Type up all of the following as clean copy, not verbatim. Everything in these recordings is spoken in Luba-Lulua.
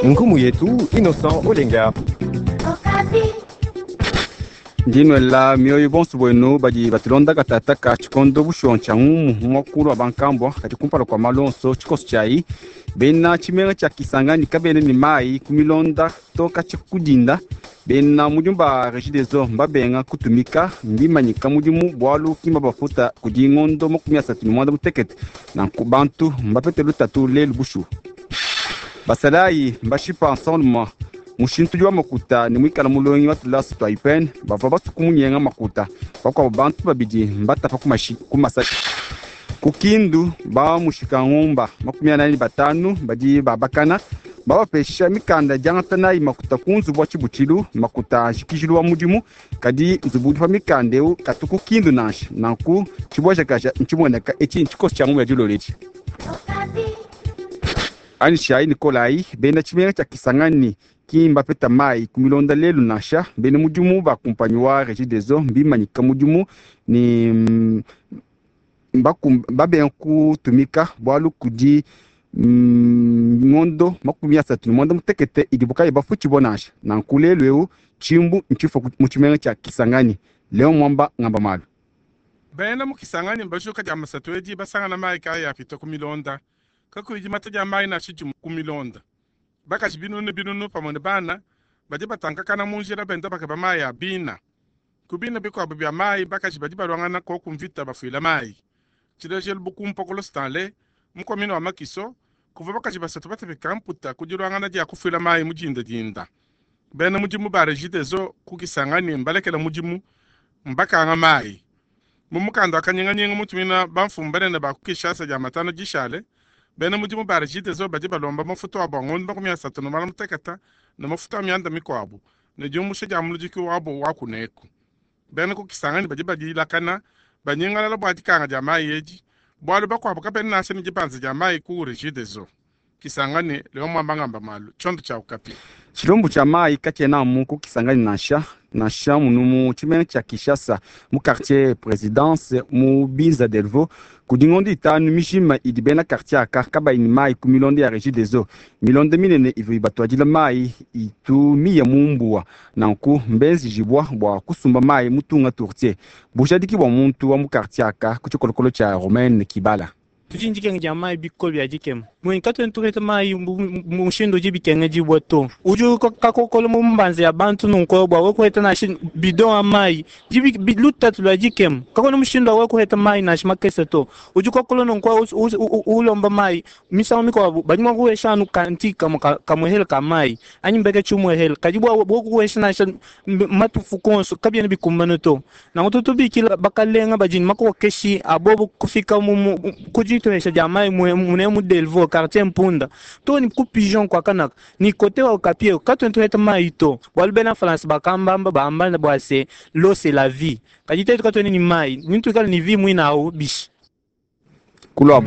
Nkumu yetu Innocent Olenga. Ndi nuela mioyo bonso buenu badi batulonda katataka tshikondo bushuwa ntshia ngumu mu muakulu wa bankambua, kadi kumpala kua malu onso tshikoso tshiayi bena tshimenga tshia Kisangani kabena ne mayi ku milonda to katshia ku dinda. Bena mudimu ba Regideso mbabenga kutumika, mbimanyika mudimu bualu ki mbabafuta kudi ngondo 36. Nanku bantu mbapete lutatu lelu bushuwa. Basalayi mbashipa nsongalume mushintudi wa makuta ne muikala mulongi wa tulasa tua UPN bavua basue kumunyenga makuta. Bakuabu bantu babidi mbatapa ku masasi. Ku Kindu ba mushika ngumba 45 badi babakana babapesha mikanda diangata nayi makuta ku nzubu wa tshibutshilu, makuta a njikijilu wa mudimu, kadi nzubu udi pa mikanda eu katu ku Kindu nansha. Nanku tshibuajakaja ntshimueneka etshi ntshikoso tshia ngumu ya dilolo etshi. Anyishayi ne kolayi, bena tshimenga tshia Kisangani ki mbapeta mayi ku milonda lelu nansha. Bena mudimu ba kumpanyi wa Regideso mbimanyika mudimu ne mbabenga kutumika bualu kudi ngondo 38 idibu kayi bafutshibua nansha. Nanku lelu eu tshimbu ntshifua mu tshimenga tshia Kisangani. Leon Mwamba ngamba malu. Bena mu Kisangani mbajuka dia masatu edi basangana mayi kayi apita ku milonda. Kakuyi dimata dia mayi nansha dimue ku milonda. Bakaji binunu ne binunu pamue ne bana badi batankakana mu njila benda bakeba mayi a bina. Ku bina bikuabu bia mayi bakaji badi baluangana koku mvita bafuila mayi. Tshilejelu bu ku Mpokolo Stanley mu commune wa Makiso kuvua bakaji basatu batapika mputa ku diluangana dia kufuila mayi mu dindadinda. Bena mudimu ba Regideso ku Kisangani mbalekela mudimu mbakanga mayi. Mu mukanda wa kanyinganyinga mutumina bamfumu banene ba ku Kinshasa dia matano dishale, bena mudimu ba Regideso badi balomba mafuta abu a ngondo 36 ne mafuta a mianda mikuabu ne diumbusha dia muludiki wabu wa kuneku. Bena ku Kisangani badi badilakana banyingalala bua dikanga dia mayi edi, bualu bakuabu kabena nansha ne dibanza dia mayi ku Regideso. Kisangani, Leon Mwamba ngamba malu, tshiondo tshia Okapi. Tshilumbu tshia mayi katshiena amu ku Kisangani nansha, nansha munu mu tshimenga tshia Kinshasa mu quartier Presidence mu Binza Delvaux kudi ngondo 5 mijima idi bena quartier aka kabayi ne mayi ku milonda ya Regideso. Milonda minene ivua ibatuadila mayi itu miya mu mbuwa, nanku mbenzejibua bua kusumba mayi mu tunga tourtier. Bujadiki bua muntu wa mu quartier aka ku tshikolokolo tshia Romaine Kibala. Tudi ndikenga dia mayi bikole bia dikema. Mwenyi katuena tupeta mayi mu mushindu udi bikengedibua to. Udi kakokola mu mbanza ya bantu nunku bua wewe kuheta nansha bidon wa mayi. Di lutatu lua dikema. Kakuena mushindu wa wewe kuheta mayi nansha makese to. Udi kokola nunku ulomba mayi. Misangu mikuabu badi mua kuhesha anu kanti kamue kamuehele ka mayi anyi mbeke tshimuehele. Kadi bua kuhesha nansha matufu konso kabiena bikumbana to. Nanku tutubikila bakalenga badi ne makokeshi abobo kufika mu kuditoesha dia mayi mune mu Delvaux quartier Mpunda to ni ku Pigeon kwa kanaka ni kote wa Okapi katuena tuheta mayi to. Bualu bena France bakambamba bamba bua se l'eau c'est la vie. Kadi tetu katuena ni mayi ni tuikale ni vie muina au bishi. Kulua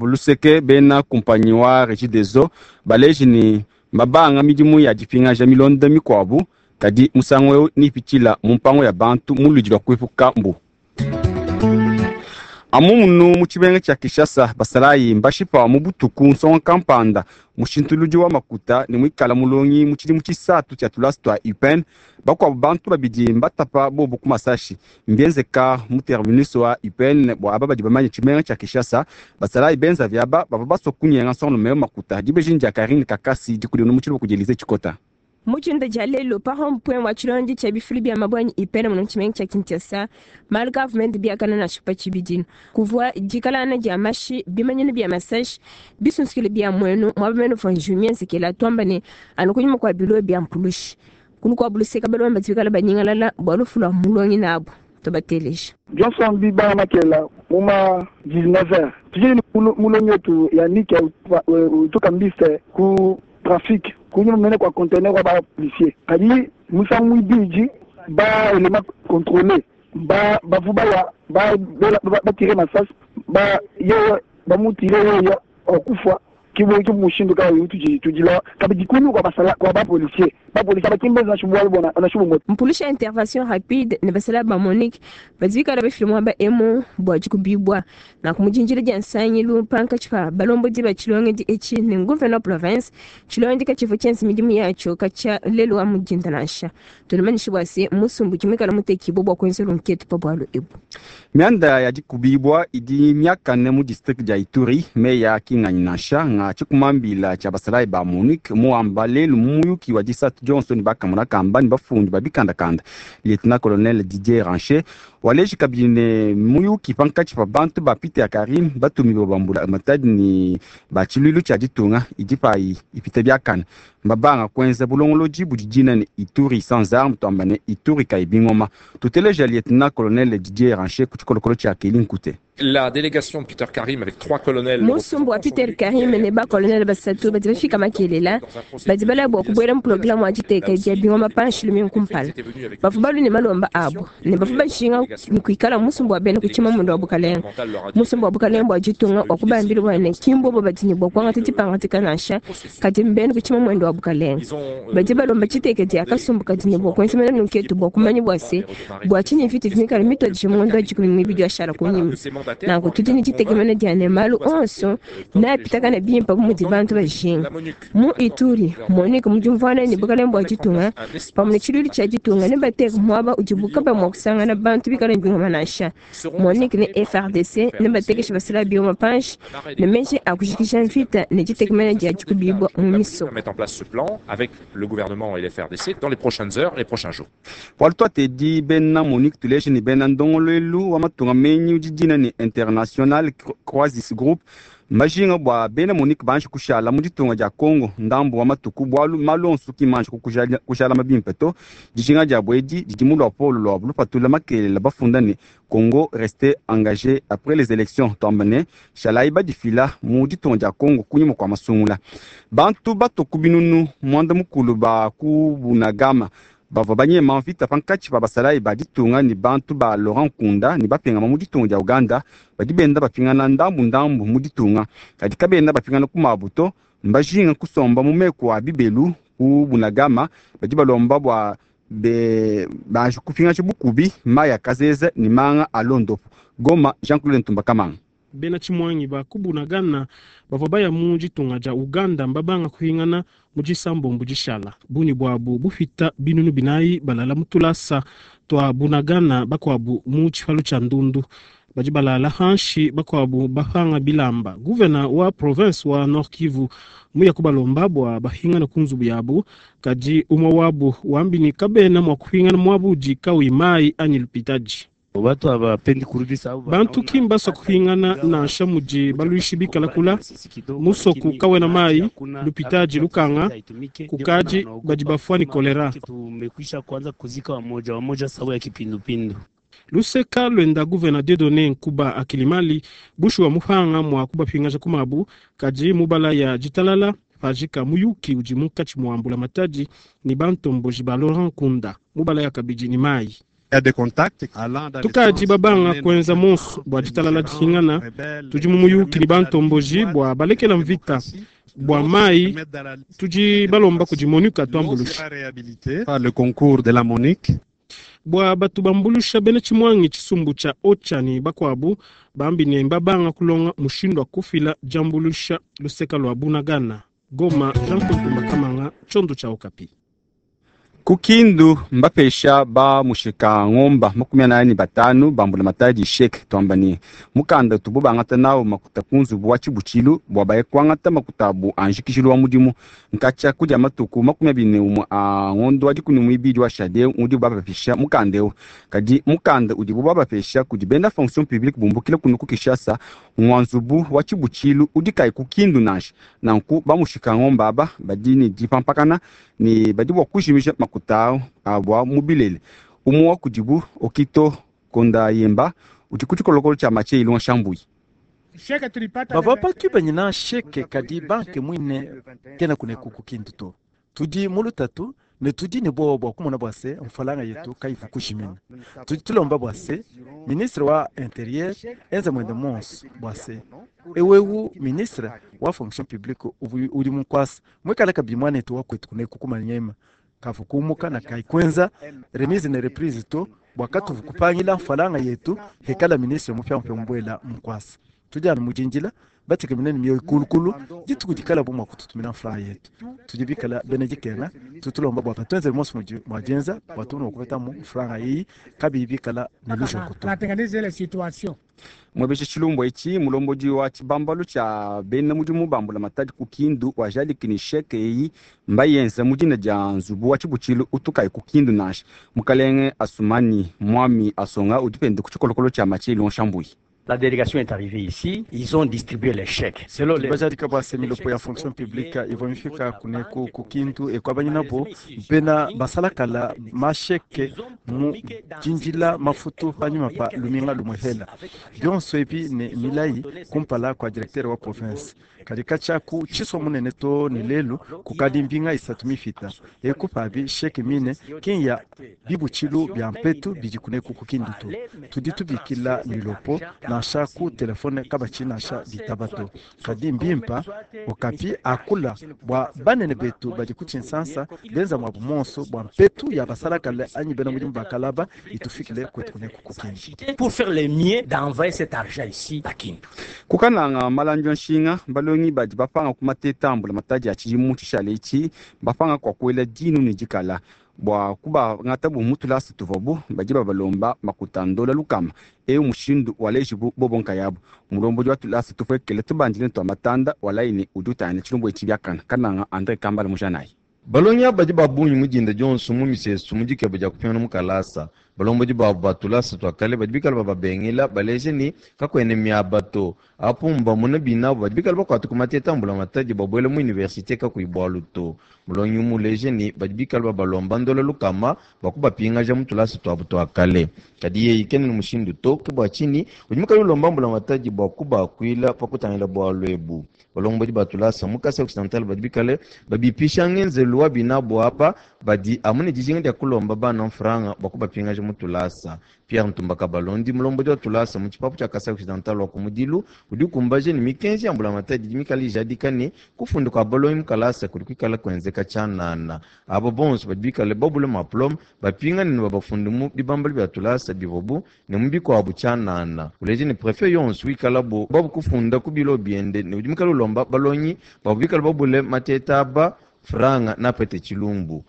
luseke bena kumpanyi wa Regideso baleji ni mabanga midimu ya dipingaja milonda mikuabu kadi musangu eu nipitshila mu mpango ya bantu mu ludi lua kuepuka mbu. Amu munu mu tshimenga tshia Kinshasa basalayi mbashipa mu butuku nsonga kampanda mushintuludi wa makuta ne muikala mulongi mu tshidimu tshisatu tshia tulasa tua UPN. Bakuabu bantu babidi mbatapa bobu ku masashi mbienzeka mu terminus wa UPN bua aba badi bamanye tshimenga tshia Kinshasa. Basalayi benza viaba bavua basua kunyenga nsongalume makuta. Dibejini dia Karine Kakasi dikudi mu tshiluba kudi Elise Tshikota. Mutshinda dia lelo pa rond-point wa tshilondi tshia bifulu bia mabwanyi ipene muno tshimenga tshia Kinshasa malu gavumenti biakana na tshipa tshibidino kuvua dikalana dia mashi bimanyinu bia masashi bisunsikile bia muenu mwaba menu fo njumia nsekela twamba ne anu kunyima kwa bilo bia mpulushi kulu kwa buluseka balomba tibikala banyingalala bua lufu lua mulongi nabo tobateleja. Johnson Biba Makela muma 19h tujeni mulongi wetu Yannick utoka mbiste ku trafic kunyuma mene kwa conteneur wa ba policier kadi musangu mwibiji ba élément contrôlé ba bavuba ya ba ba, ba tirer masasi ba yewe ba mutire yewe okufa. Ki mushindu kayi utudi tudila kabidi kunyima kua basala kua ba policier ba policier bakimbenza nansha bualu bua nansha bumue. Mpulusha intervention rapide ne basala ba MONUC badi bikala bafile muaba emu bua dikubibua nanku mu dinjila dia nsangilu pankatshi pa balombodi ba tshilongedi etshi ne gouverneur province. Tshilongedi katshivua tshienza midimu yatshio katshia lelu wa mu dinda nansha. Tunumanyishe bua se musumbu udi muikala mutekibue bua kuenza lunketu pa bualu ebu. Mianda ya dikubibua idi miakane mu district dia Ituri, meya kinganyi nansha nga tshikumambila tshia basalayi ba MONUC muamba lelu mu muyuki wa disatu dionso ne bakamona kamba ne bafundi ba bikandakanda. Lieutenant colonel Didier Rancher waleji kabidi ne muyuki pankatshi pa bantu ba Peter Karim batumi ba mbula matadi ne ba tshiluilu tshia ditunga idi payi ipita biakane. Mbabanga kuenza bulongolodi budi dina ne Ituri sans armes, tuamba ne Ituri kayi bingoma. Tuteleja lieutenant colonel Didier Rancher ku tshikolokolo tshia Kelly Nkute. La délégation de Peter Karim avec 3 colonels. Musumbu wa Peter Karim ne ba colonel basatu badi bafika makelela badi balaya bua kubuela mu programme wa diteka dia bingoma panshi lumingu kumpala. Bavua balu ne malomba abo ne bavua bajinga kuikala musumbu wa bena kuchima mundu wa bukalenga. Musumbu wa bukalenga bua ditunga wa kubambila bua ne kimbobo badi ne bua kuangata dipangadika nansha kadi mbena kuchima mwendo wa bukalenga. Badi balomba tshiteke dia kasumbu kadi ne bua kuenza mena nunketu bua kumanya bua se bua tshinyi mvita mikala mituadije mu ngondo wa dikumi ne mibidi ashala kunyima. Nanku tudi ne ditekemena dia ne malu onso neapitakane bimpe bu mudi bantu bajinga. Mu Ituri, MONUC mu diumvuana ne bukalenga bua ditunga pamue ne tshiluilu tshia ditunga nebateke muaba udibu kaba mua kusangana bantu bikale ne bingoma nansha. MONUC ne FARDC nebatekeshe basalayi bingoma panshi ne meji a kujikija mvita ne ditekemena dia dikubibua mu misoko. Mettre en place ce plan avec le gouvernement et les FARDC dans les prochaines heures, les prochains jours. Bualu tuatedi bena MONUC tuleje ne bena ndongoluelu wa matunga menyi udi dina ne International Crisis Group majinga bua bena MONUC banji kushala mu ditunga dia Congo ndambu wa matuku bualu malu onso ki manji kushala mabimpe to. Dijinga dia bwedi didi mu luapolo lua lupatula makelela bafunda ne Congo reste engagé après les élections, tuamba ne shalayi badifila mu ditunga dia Congo kunyima kua masungula. Bantu batoku binunu mwanda mukulu ba ku Bunagana bavua banyema mvita pankatshi pa basalayi ba ditunga ne bantu ba Laurent Nkunda ne bapingama mu ditunga dia Uganda badi benda bapingana ndambu ndambu mu ditunga, kadi kabenda bapingana ku mabu to. Mbajinga kusomba mu meku a bibelu ku Bunagana. Badi balomba bua be banji kupingaja bukubi mayi a kazeza ne manga a londopo. Goma, Jean-Claude Ntumba Kamanga. Bena tshimwangi ba ku Bunagana bavua baya mu ditunga dia Uganda mbabanga kuhingana mu disambombo dishala bungi bwabu bupita binunu binayi balala mu tulasa twa Bunagana, bakwabu mu tshipalu tshia ndundu badi balala hanshi, bakwabu bapanga bilamba. Gouverneur wa province wa Nord Kivu muya kubalomba bua bahingana ku nzubu yabu, kadi umwe wabu wambini kabena mua kuhingana muabu kawi mai anyi lupitaji. Bantu kimbaswa kuhingana nansha mudi baluishi bikalakula musoku kawena mai lupitaji lukanga kukaji badi bafua ni kolera. Luseka lwenda gouverneur Dieudonné Nkuba Akilimali bushuwa mupanga mwa kubapingaja kumabu kadi mubala ya ditalala pajika muyuki udi munkatshi mua mbulamatadi ni bantomboji ba Laurent Nkunda mubala ya kabidi ni mai. Tukadi babanga kuenza monso bua ditalala dihingana tudi mu muyuki ni bantomboji bua balekela mvita bua mai tudi balomba kudi MONUC atuambulusha. Le concours de la MONUC. Bua batu bambulusha bena tshimwangi tshisumbu tshia OCHA ni bakwabu bambi ne mbabanga kulonga mushindu wa kufila diambulusha luseka lua Bunagana. Goma, Jean Claude Ntumba Kamanga, tshiondo tshia Okapi. Kukindu mbapesha ba mushika ngomba 45 bambula matadi chèque, twamba ni mukanda tubu bangata nawo makuta ku nzubu wa tshibutshilu bua baye kuangata makuta abu anjikishilu wa mudimu nkatshia kudia matuku 21 a ngondo wa 12 wa shade udi babapesha mukanda eu. Kadi mukanda udibu babapesha kudi bena fonction publique bumbukila kunu ku Kinshasa ngwa nzubu wa tshibutshilu udi kayi kukindu nansha. Nanku bamushika ngomba aba badi ne dipampakana ne badi bua kujimija makuta abua mu bilele. Umwe wa kudibu Okito Konda Yemba udi ku tshikolokolo tshia Mathieu Ilunga Shambuyi. Bavua bakibanyina chèque kadi banque mwine kena kuneku kukindu to. Tudi mu lutatu. Ne tudi ne buowa bua kumona bua se mfranga yetu kayivu kujimina. Tudi tulomba bua se ministre wa Interieur enze muende muonso bua se ewewu ministre wa fonction publique udi mu nkuasa muikale kabidi muanetu wa kuetu kuneku ku Maniema kavu kumuka na kayi kuenza remise ne reprise to bua katuvu kupangila mfranga yetu hikala ministre mupiamupia mubuela mu nkuasa. Tudi anu mu dindila batekemene ne mioyo kulukulu dituku dikala bu mua kututumina mfranga yetu. Tudi bikala bena dikenga, tutulomba bua batuenzele monso mudi mua dienza bua tumone mua kupetamu mfranga eyi kabiyi bikala ne lujoko to. Batengeneze la situation. Muebeshe tshilumbu etshi, mulombodi wa tshibambalu tshia bena mudimu ba mbulamatadi ku Kindu wajadiki ne chèque eyi mbayenza mu dina dia nzubu wa tshibutshilu utu kayi ku Kindu nansha. Mukalenge Asumani Mwami Asonga udi pende ku tshikolokolo tshia Mathieu Lonshambuyi. La délégation est arrivée ici, ils ont distribué les chèques. Selon les... Bajadika bua se milopo ya fonction publique ivua mifika kuneku ku Kindu ekuabanyinabu bena basalakala masheke mu dindila mafutu panyima pa luminga lumue hela bionso ebi ne milayi kumpala kua directeur wa province. Kadi katshia ku tshisua munene too ne lelu kukadi mbinga isatu mifita eku pabi chèque mine ki ya bibutshilu bia mpetu bidi kuneku ku Kindu to. Tudi tubikila milopo nansha ku telefone kabatshi nansha bitaba to. Kadi mbimpa okapi akula bua banene betu badi ku Tshinsansa benza muabu monso bua mpetu ya basalakale anyi bena mudimu ba kalaba itufikile kuetu kuneku ku Kindu. Pour faire le mieux d'envoyer cet argent ici à Kindu. Kukananga malandi a nshinga balongi badi bapanga ku mateta a mbulamatadi a tshidimu tshishale etshi bapanga kua kuela dinu ne dikala bua kubangata bu mu tulasa tuvuabu badi babalomba makuta ndola lukama. Eu mushindu walejibu bobo nkayabu. Mulombodi wa tulasa tupuekele tubandile tua matanda walayi ne udi utangila tshilumbu etshi biakana. Kananga Andre Kambala mujanayi. Balongi aba badi ba bungi mu dinda dionso mu misesu mu dikeba dia kupingana mu kalasa. Balombodi babu ba tulasa tua kale badi bikale bababengela baleje ne kakuena miaba to. Apu mbamona binabu badi bikale bakuata ku mateta a mbulamatadi babuela mu universite kakuyi bualu to. Mulongi umuleje ne badi bikale babalomba ndola lukama bua kubapingaja mu tulasa tuabu tua kale. Kadi yeye kena ne mushindu to, ke bua tshinyi udi mukale ulomba mbulamatadi bua kubakuila pa kutangila bualu ebu. Balombodi ba tulasa mu Kasai Occidental badi bikale babipisha ngenzelu wa binabu aba badi amu ne dijinga dia kulomba bana mfranga bua kubapingaja mu tulasa. Pierre Ntumba Kabalondi, mulombodi wa tulasa mu tshipapu tshia Kasai Occidental wa ku Mudilu, udi ukumbaja ne mikenji ya mbulamatadi idi mikale ijadika ne kufunda kua balongi mu kalasa kudi kuikala kuenzeka tshianana. Aba bonso badi bikale babule maplome bapingane ne babafunde mu bibambalu bia tulasa bivuabu ne mu bikuabu tshianana. Uleje ne prefet yonso wikalabu babu kufunda ku bilo biende ne udi mukale ulomba balongi babu bikale babule mateta aba franga napete tshilumbu.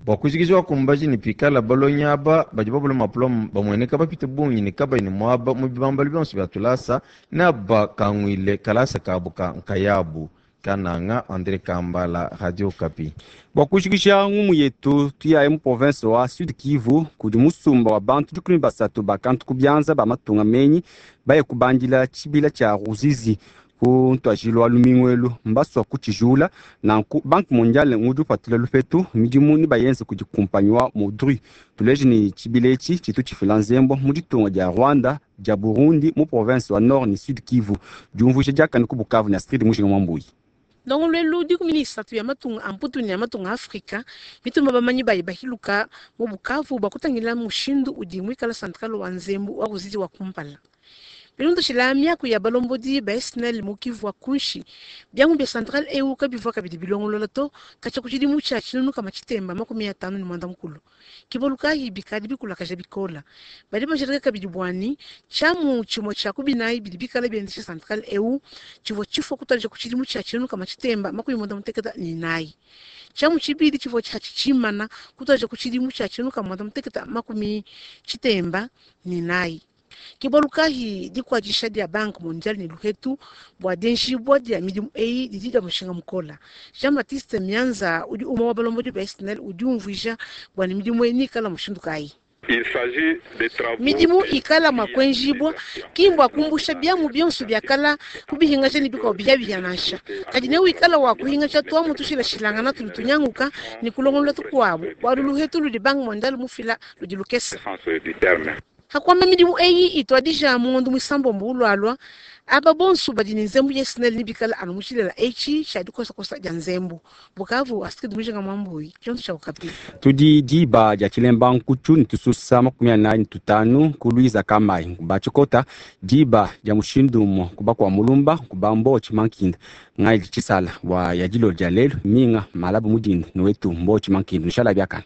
Bua kujikija wakumbaji ne pikala balongi aba badi babule maplome bamueneka bapite bungi ne kabayi ne muaba mu bibambalu bionso bia tulasa ne abakanguile kalasa kabu ka nkayabu. Kananga André Kambala, Radio Okapi. Bua kujikija ngumu yetu tuyaye mu province wa Sud Kivu kudi musumba wa bantu 13 ba kantu ku bianza ba matunga menyi baye kubandila tshibila tshia Ruzizi ku ntuajilu wa lumingu elu mbasua kutshijula. Nanku Banque mondiale ngudi upatula lupetu midimu ne bayenze kudi kumpanyi wa Modru. Tuleje ne tshibila etshi tshitu tshifila nzembo mu ditunga dia Rwanda, dia Burundi, mu province wa Nord ne Sud Kivu. Diumvuija diakane ku Bukavu ne Astrid Mujinga Mwambuyi. Ndongoluelu 13 ya matunga a Mputu ne ya matunga a Afrika mituma bamanyi bayi bahiluka mu Bukavu bua kutangila mushindu udi muikala centrale wa nzembu wa Ruzizi wa kumpala. Bilondeshila miaku ya balombodi ba SNEL mu Kivu wa kunshi, biamu bia centrale eu kabivua kabidi bilongolola to katshia ku tshidimu tshia 1959. Kibolukayi bikadi bikulakaja bikola. Badi bajadika kabidi bua ne tshiamu tshimue tshia ku binayi bidi bikala biendesha centrale eu tshivua tshifua kutuadija ku tshidimu tshia 1994. Tshiamu tshibidi tshivua tshiatshi tshimana kutuadija ku tshidimu tshia 1994. Ke bualu kayi dikuatshisha dia Banque mondiale ne luhetu bua dienjibua dia midimu eyi didi dia mushinga mukola. Jean-Baptiste Mianza udi umue wa balombodi ba SNEL udi umvuija bua ne midimu eyi nikala mushindu kayi. Midimu ikala mua kuenjibua ki mbua kumbusha biamu bionso biakala kubihingaja ne bikuabu bihiabihia nansha, kadi ne wikala wa kuhingaja tuamu tushilashilangana tudi tunyanguka ne kulongolola tukuabu, bualu luhetu ludi Banque mondiale mufila ludi lukese. Hakuamba midimu eyi ituadija mu ngondo muisambombo ulualua, aba bonso badi ne nzembu ya SNEL nebikale anu mu tshilela etshi tshia dikosakosa dia nzembu. Bukavu, Astrid Mujinga Mwambui, tshionso tshia Okapi. Tudi diba dia tshilemba nkutshu ne tususa 45 ku Luiza Kamai nkuba tshikota diba dia mushindu umue kuba kua Mulumba nkuba Mbotshi Mankinda ngai tshisala bua ya dilolo dia lelu minga malabu mudinda ne wetu Mbotshi Mankinda nushala biakana.